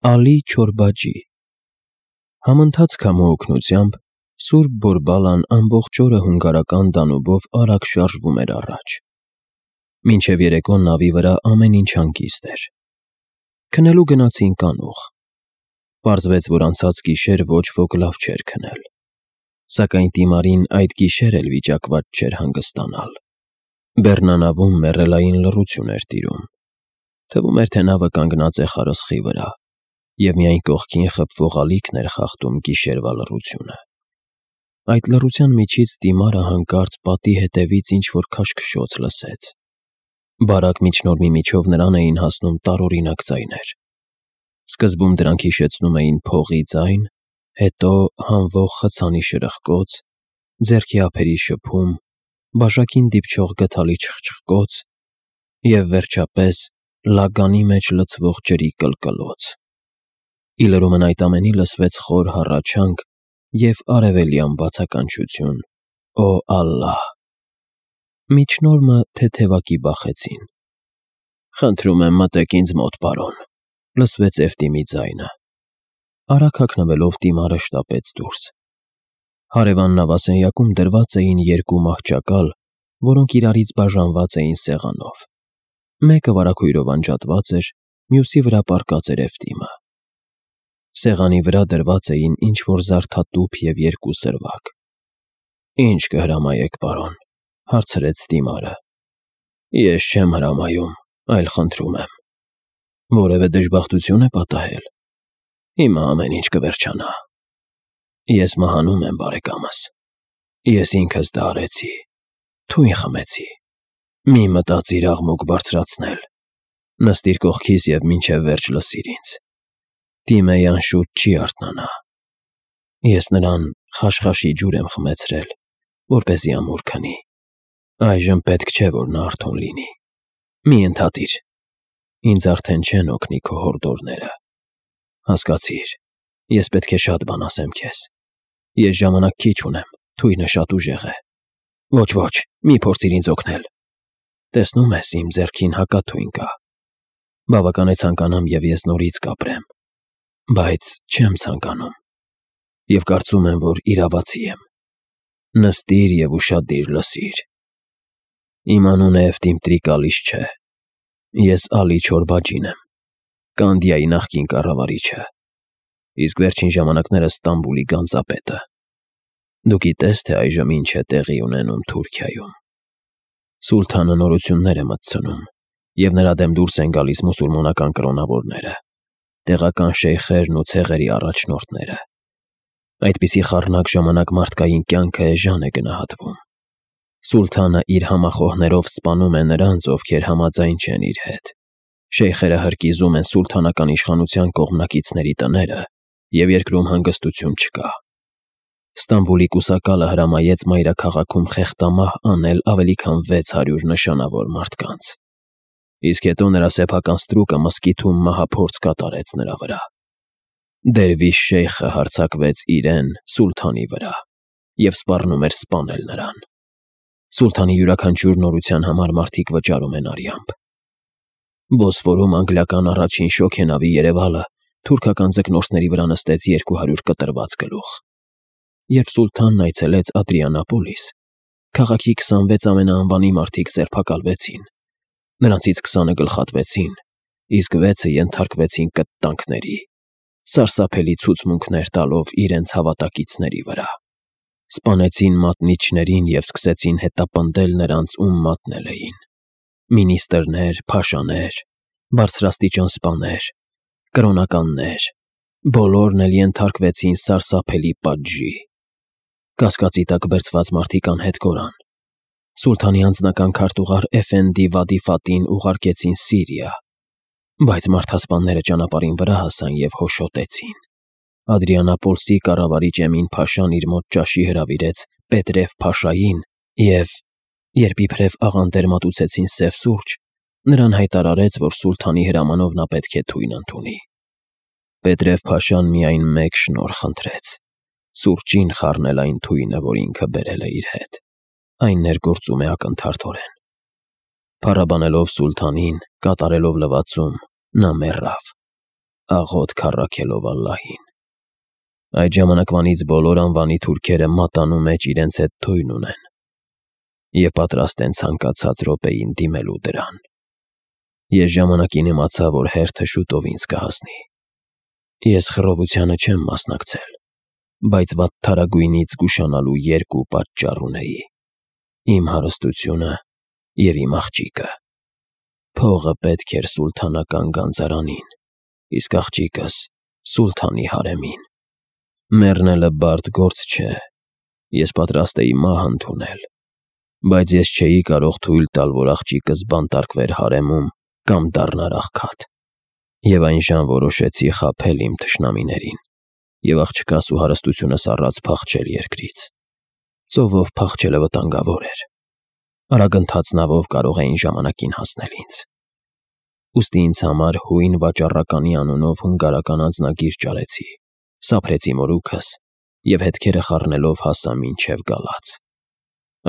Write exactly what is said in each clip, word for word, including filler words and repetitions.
Ալի Չորբաջի Համընթաց քամու օգնությամբ Սուրբ Բորբալան ամբողջ օրը հունգարական դանուբով արագ շարժվում էր առաջ։ Մինչև երեկո նավի վրա ամեն ինչ հանգիստ էր։ Քնելու գնացին կանուխ։ Պարզվեց, որ անցած գիշեր ոչ ոք լավ չէր քնել, սակայն Տիմարին այդ գիշեր էլ վիճակված չէր հանգստանալ։ Բեռնանավում մեռելային լռություն էր տիրում։ Թվում էր, թե նավը կանգնած է խարսխի վրա, և միայն կողքին խփվող ալիքն էր խախտում գիշերվա լռությունը։ Այդ լռության միջից Տիմարը հանկարծ պատի հետևից ինչ-որ քաշքշոց լսեց։ Բարակ միջնորմի միջով նրան էին հասնում տարօրինակ ձայներ։ Սկզբում դրանք հիշեցնում էին փողի ձայն, հետո հանվող խցանի շրխկոց, ձեռքի ափերի շփում, բաժակին դիպչող գդալի չխչխկոց և, վերջապես, լագանի մեջ լցվող ջրի կլկլոց։ Ի լրումն այդ ամենի լսվեց խոր հառաչանք և արևելյան բացականչություն. «Օ Ալլահ»։ Միջնորմը թեթևակի բախեցին։ «Խնդրում եմ, մտեք ինձ մոտ, պարոն», լսվեց Էֆտիմի ձայնը։ Արագ հագնվելով Տիմարը շտապեց դուրս։ Հարևան նավասենյակում դրված էին երկու մահճակալ, որոնք իրարից բաժանված էին սեղանով։ Մեկը վարագույրով անջատված էր, մյուսի վրա պառկած էր Էֆտիմը։ Սեղանի վրա դրված էին ինչ-որ զարդատուփ և երկու սրվակ։ «Ի՞նչ կհրամայեք, պարոն», հարցրեց Տիմարը։ «Ես չեմ հրամայում, այլ խնդրում եմ։ Որևէ դժբախտություն է պատահել։ Հիմա ամեն ինչ կվերջանա։ Ես մահանում եմ, բարեկամս։ Ես ինքս դա արեցի, թույն խմեցի։ Մի մտածիր աղմուկ բարձրացնել։ Նստիր կողքիս և մինչև վերջ լսիր ինձ։ Տիմեյան շուտ չի արթնանա։ Ես նրան խաշխաշի ջուր եմ խմեցրել, որպեսզի ամուր քնի։ Այժմ պետք չէ, որ նա արթուն լինի։ Մի ընդհատիր։ Ինձ արդեն չեն օգնի քո հորդորները։ Հասկացիր, ես պետք է շատ բան ասեմ քեզ։ Ես ժամանակ քիչ ունեմ, թույնը շատ ուժեղ է։ Ոչ, մի փորձիր ինձ օգնել։ Տեսնում ես, իմ ձեռքին հակաթույն կա։ Բավական է ցանկանամ, և ես նորից կապրեմ։ Բայց չեմ ցանկանում։ Եվ կարծում եմ, որ իրավացի եմ։ Նստիր և ուշադիր լսիր։ Իմ անունը Էֆտիմ Տրիկալիս չէ։ Ես Ալի Չորբաջին եմ, Կանդիայի նախկին կառավարիչը, իսկ վերջին ժամանակներս Ստամբուլի գանձապետը։ Դու գիտես, թե այժմ ինչ է տեղի ունենում Թուրքիայում։ Սուլթանը նորություններ է մտցնում, և նրա դեմ դուրս են գալիս մուսուլմանական կրոնավորները, տեղական շեյխերն ու ցեղերի առաջնորդները։ Այդպիսի խառնակ ժամանակ մարդկային կյանքը էժան է գնահատվում։ Սուլթանը իր համախոհներով սպանում է նրանց, ովքեր համաձայն չեն իր հետ։ Շեյխերը հրկիզում են սուլթանական իշխանության կողմնակիցների տները, և երկրում հանգստություն չկա։ Ստամբուլի կուսակալը հրամայեց մայրաքաղաքում խեղդամահ անել ավելի քան վեց հարյուր նշանավոր մարդկանց։ Իսկ հետո նրա սեփական ստրուկը մզկիթում մահափորձ կատարեց նրա վրա։ Դերվիշ շեյխը հարձակվեց իրեն, սուլթանի վրա, և սպառնում էր սպանել նրան։ Սուլթանի յուրաքանչյուր նորության համար մարդիկ վճարում են արյամբ։ Բոսֆորում անգլիական առաջին շոգենավի երևալը թուրքական ձկնորսների վրա նստեց երկու հարյուր կտրված գլուխ։ Երբ սուլթանն այցելեց Ադրիանապոլիս, քաղաքի քսանվեց ամենաանվանի մարդիկ ձերբակալվեցին։ Նրանցից քսանը գլխատվեցին, իսկ վեցը ենթարկվեցին կտտանքների, սարսափելի ցուցմունքներ տալով իրենց հավատակիցների վրա։ Սպանեցին մատնիչներին և սկսեցին հետապնդել նրանց, ում մատնել էին։ Մինիստրներ, փաշաներ, բարձրաստիճան սպաներ, կրոնականներ, բոլորն էլ ենթարկվեցին սարսափելի պատժի։ Կասկածի տակ բերձված մարդիկ անհետ կորան։ Սուլթանի անձնական քարտուղար Էֆենդի Վադի ուղարկեցին Սիրիա, բայց մարդասպանները ճանապարհին վրա հասան և հոշոտեցին։ Ադրիանապոլսի կառավարիչ Էմին փաշան իր մոտ ճաշի հրավիրեց Պետրև֊փաշային և, երբ իբրև աղանդեր մատուցեցին սև սուրճ, նրան հայտարարեց, որ սուլթանի հրամանով նա պետք է թույն ընդունի։ Պետրև֊փաշան միայն մեկ շնորհ խնդրեց՝ սուրճին խառնել այն թույնը, որ ինքը բերել է իր հետ։ Այն ներգործում է ակնթարթորեն։ Փառաբանելով սուլթանին, կատարելով լվացում, նա մեռավ։ աղոթք առաքելով Ալլահին։ Այդ ժամանակվանից բոլոր անվանի թուրքերը մատանու մեջ իրենց հետ թույն ունեն և պատրաստ են ցանկացած րոպեին դիմելու դրան։ Ես ժամանակին իմացա, որ հերթը շուտով ինձ կհասնի։ Ես խռովությանը չեմ մասնակցել, բայց վատթարագույնից զգուշանալու երկու պատճառ ունեի՝ իմ հարստությունը և իմ աղջիկը։ Փողը պետք էր սուլթանական գանձարանին, իսկ աղջիկս՝ սուլթանի հարեմին։ Մեռնելը բարդ գործ չէ, ես պատրաստ էի մահ ընդունել, բայց ես չէի կարող թույլ տալ, որ աղջիկս բանտարկվեր հարեմում կամ դառնար աղքատ։ Եվ այնժամ որոշեցի խաբել իմ թշնամիներին և աղջկաս ու հարստությունս առած փախչել երկրից։ Ծովով փախչելը վտանգավոր էր, արագընթաց նավով կարող էին ժամանակին հասնել ինձ։ Ուստի ինձ համար հույն վաճառականի անունով հունգարական անձնագիր ճարեցի, սափրեցի մորուքս և հետքերը խառնելով հասա մինչև գալաթ։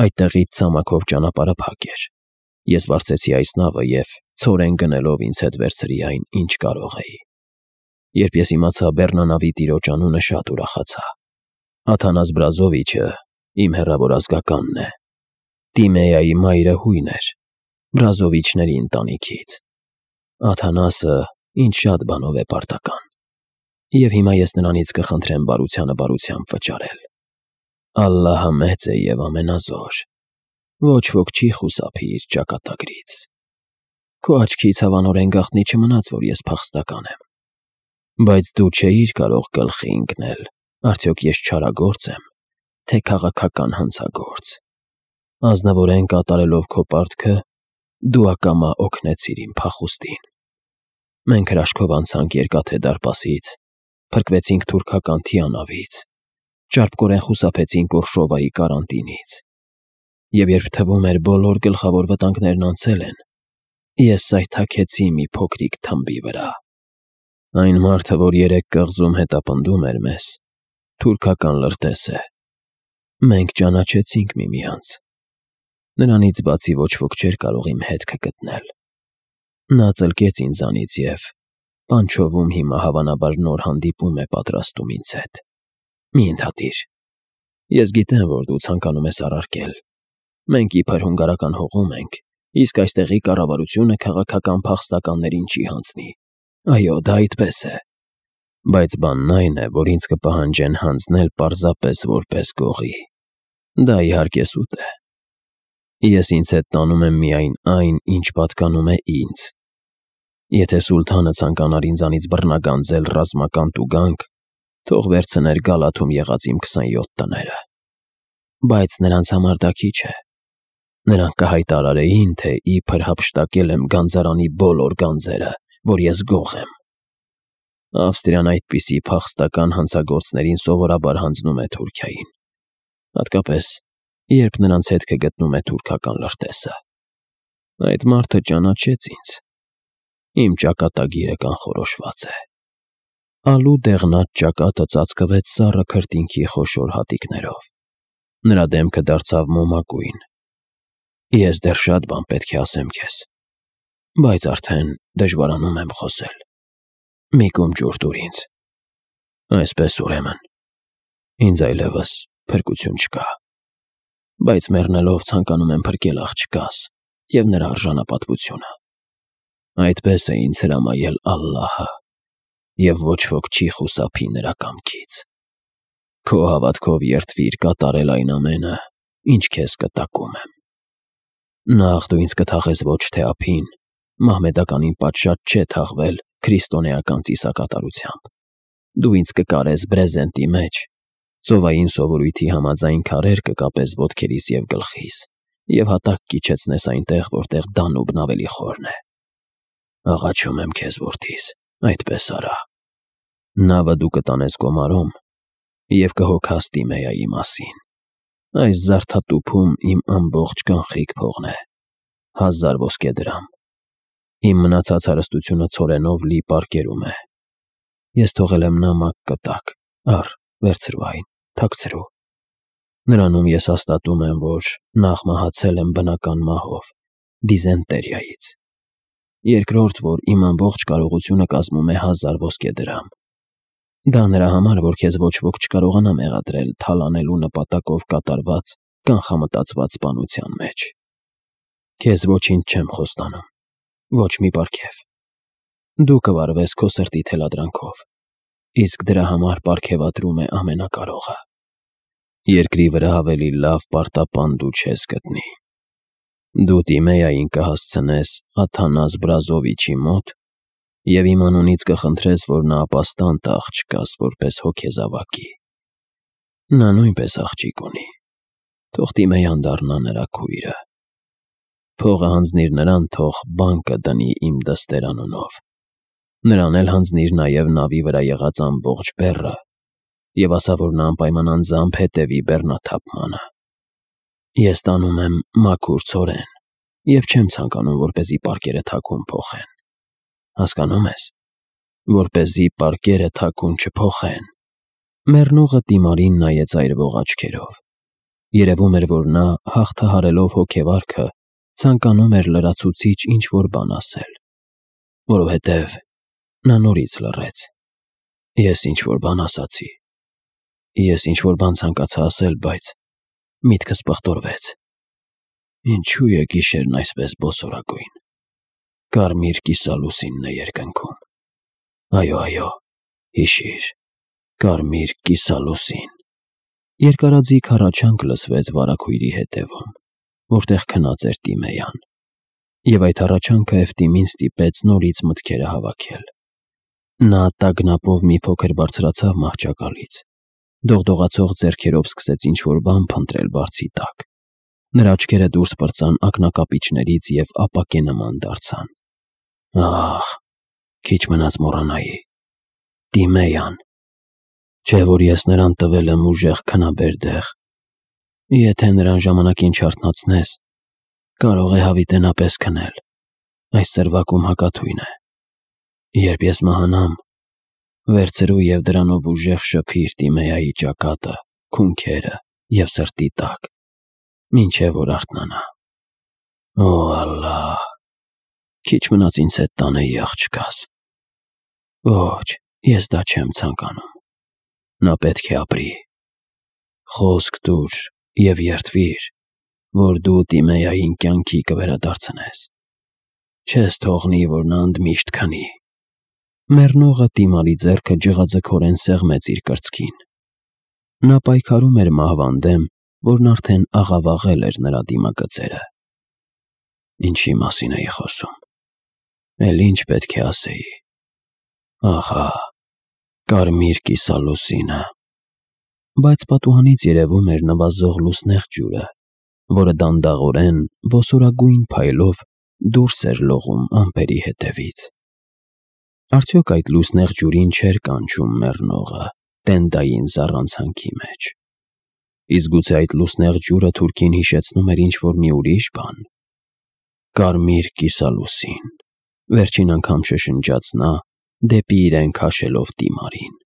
Այդտեղից ցամաքով ճանապարհը փակ էր։ Ես վարձեցի այս նավը և ցորեն գնելով ինձ հետ վերցրի այն, ինչ կարող էի։ Երբ ես իմացա բեռնանավի տիրոջ անունը, շատ ուրախացա։ Աթանաս Բրազովիչը իմ հեռավոր ազգականն է։ Տիմեայի մայրը հույն էր, Բրազովիչների ընտանիքից։ Աթանասը ինձ շատ բանով է պարտական, և հիմա ես նրանից կխնդրեմ բարությանը բարությամբ վճարել։ Ալլահը մեծ է և ամենազոր, ոչ ոք չի խուսափի իր ճակատագրից։ Քո աչքից հավանորեն գաղտնի չմնաց, որ ես փախստական եմ, բայց դու չէիր կարող գլխի ընկնել, արդյոք ես չարագործ եմ, թե քաղաքական հանցագործ։ Ազնվորեն կատարելով քո պարտքը, դու ակամա օգնեցիր իմ փախուստին։ Մենք հրաշքով անցանք Երկաթե դարպասից, փրկվեցինք թուրքական թիանավից, ճարպկորեն խուսափեցինք Օրշովայի կարանտինից։ Եվ երբ թվում էր բոլոր գլխավոր վտանգներն անցել են, ես սայթաքեցի մի փոքրիկ թմբի վրա։ Այն մարդը, որ երեք կղզում հետապնդում էր մեզ, թուրքական լրտես է։ Մենք ճանաչեցինք միմյանց։ Նրանից բացի ոչ ոք չէր կարող իմ հետքը գտնել։ Նա ծլկեց ինձանից և Պանչովում հիմա հավանաբար նոր հանդիպում է պատրաստում ինձ հետ։ Մի ընդհատիր։ Ես գիտեմ, որ դու ցանկանում ես առարկել։ Մենք իբր հունգարական հողում ենք, իսկ այստեղի կառավարությունը քաղաքական փախստականներին չի հանձնի։ Այո, դա այդպես է։ Բայց բանն այն է, որ ինձ կպահանջեն հանձնել պարզապես որպես գողի։ Դա իհարկե սուտ է։ Ես ինձ հետ տանում եմ միայն այն, ինչ պատկանում է ինձ։ Եթե սուլթանը ցանկանար ինձանից բռնագանձել ռազմական տուգանք, թող վերցներ Գալաթում եղած իմ քսանյոթ տները։ Բայց նրանց համար դա քիչ է։ Նրանք կհայտարարեին, թե իբր հափշտակել եմ գանձարանի բոլոր գանձերը, որ ես գող եմ։ Ավստրիան այդպիսի փախստական հանցագործներին սովորաբար հանձնում է Թուրքիային, հատկապես երբ նրանց հետքը գտնում է թուրքական լրտեսը։ Այդ մարդը ճանաչեց ինձ։ Իմ ճակատագիրը կանխորոշված է։ Ալու դեղնած ճակատը ծածկվեց սառը քրտինքի խոշոր հատիկներով։ Նրա դեմքը դարձավ մոմագույն։ Ես դեռ շատ բան պետք է ասեմ քեզ, բայց արդեն դժվարանում եմ խոսել։ Մի կում ջուր տուր ինձ։ Այսպես ուրեմն, ինձ այլևս փրկություն չկա, բայց մեռնելով ցանկանում եմ փրկել աղջկաս և նրա արժանապատվությունը։ Այդպես է ինձ հրամայել Ալլահը, և ոչ ոք չի խուսափի նրա կամքից։ Քո հավատքով երդվիր կատարել այն ամենը, ինչ քեզ կտակում եմ։ Նախ դու ինձ կթաղես ոչ թե ափին, մահմեդականին պատշաճ չէ թաղվել քրիստոնեական ծիսակատարությամբ։ Դու ինձ կկարես բրեզենտի մեջ, ծովային սովորույթի համաձայն քարեր կկապես ոտքերիս և գլխիս, և հատակ կիջեցնես այնտեղ, որտեղ Դանուբն ավելի խորն է։ Աղաչում եմ քեզ, որդիս, այդպես արա։ Նավը դու կտանես գոմարում և կհոգաս Տիմեայի մասին։ Այս զարդատուփում իմ ամբողջ կանխիկ փողն է, հազար ոսկե դրամ։ Իմ մնացած հարստությունը ցորենով լի պարկերում է։ Ես թողել եմ նամակ կտակ, առ, վերցրու այն, թաքցրու։ Նրանում ես հաստատում եմ, որ նախ մահացել եմ բնական մահով, դիզենտերիայից։ երկրորդ, որ իմ ամբողջ կարողությունը կազմում է հազար ոսկե դրամ։ Դա նրա համար, որ քեզ ոչ ոք չկարողանա մեղադրել թալանելու նպատակով կատարված կանխամտածված սպանության մեջ։ Քեզ ոչինչ չեմ խոստանում, ոչ մի պարգև։ Դու կվարվես քո սրտի թելադրանքով, իսկ դրա համար պարգևատրում է ամենակարողը։ Երկրի վրա ավելի լավ պարտապան դու չես գտնի։ Դու Տիմեյային կհասցնես Աթանաս Բրազովիչի մոտ և իմ անունից կխնդրես, որ նա ապաստան տա աղջկաս որպես հոգեզավակի։ Նա նույնպես աղջիկ ունի, թող Տիմեյան դառնա նրա քույրը։ Փողը հանձնիր նրան, թող բանկը դնի իմ դստեր անունով։ Նրան էլ հանձնիր նաև նավի վրա եղած ամբողջ բեռը և ասա, որ նա անպայման անձամբ հետևի բեռնաթափմանը։ Ես տանում եմ մաքուր ցորեն և չեմ ցանկանում, որպեսզի պարկերը թաքուն փոխեն։ Հասկանո՞ւմ ես, որպեսզի պարկերը թաքուն չփոխեն։ Մեռնողը Տիմարին նայեց այրվող աչքերով։ Երևում էր, որ նա, հաղթահարելով հոգեվարքը, ցանկանում էր լրացուցիչ ինչ-որ բան ասել, որովհետև նա նորից լռեց։ Ես ինչ-որ բան ասացի։ Ես ինչ-որ բան ցանկացա ասել, բայց միտքս պղտորվեց։ Ինչու է գիշերն այսպես բոսորագույն։ Կարմիր կիսալուսինն է երկնքում։ Այո, այո, հիշիր, կարմիր կիսալուսին։ Երկարաձիգ հառաչանք լսվեց վարագույրի հետևում, որտեղ քնած էր Տիմեյան, և այդ հառաչանքը Էֆտիմին ստիպեց նորից մտքերը հավաքել։ Նա տագնապով մի փոքր բարձրացավ մահճակալից, դողդողացող ձեռքերով սկսեց ինչ-որ բան փնտրել բարձի տակ։ Նրա աչքերը դուրս պրծան ակնակապիճներից և ապակե նման դարձան։ Ահ, քիչ մնաց մոռանայի։ Տիմեյան։ Չէ՞ որ ես նրան տվել եմ ուժեղ քնաբեր դեղ։ Եթե նրան ժամանակին չարթնացնես, կարող է հավիտենապես քնել։ Այս ծրվակում հակաթույն է։ Երբ ես մահանամ, վերցրու և դրանով ուժեղ շփիր Տիմեյայի ճակատը, քունքերը և սրտի տակ, մինչև որ արթնանա։ Օ, Ալլահ, քիչ մնաց ինձ հետ տանեի աղջկաս։ Ոչ, ես դա չեմ ցանկանում։ Նա պետք է ապրի։ Խոսք տուր և երդվիր, որ դու Տիմեյային կյանքի կվերադարձնես։ Չես թողնի, որ նա ընդմիշտ քնի։ Մեռնողը Տիմարի ձեռքը ջղաձգորեն սեղմեց իր կրծքին։ Նա պայքարում էր մահվան դեմ, որն արդեն աղավաղել էր նրա դիմագծերը։ Ինչի մասին էի խոսում։ Էլ ինչ պետք է ասեի։ Ահա, կարմիր կիսալուսինը։ Բայց պատուհանից երևում էր նվազող լուսնեղ ջուրը, որը դանդաղորեն, ոսորագույն փայլով դուրս էր լողում ամպերի հետևից։ Արդյոք այդ լուսնեղ ջուրին չէր կանչում մեռնողը տենդային զառանցանքի մեջ։ Իսկ գուցե այդ լուսնեղ ջուրը թուրքին հիշեցնում էր ինչ-որ մի ուրիշ բան։ Կարմիր կիսալուսին, վերջին անգամ շշնջաց նա, դեպի իրեն քաշելով Տիմարին։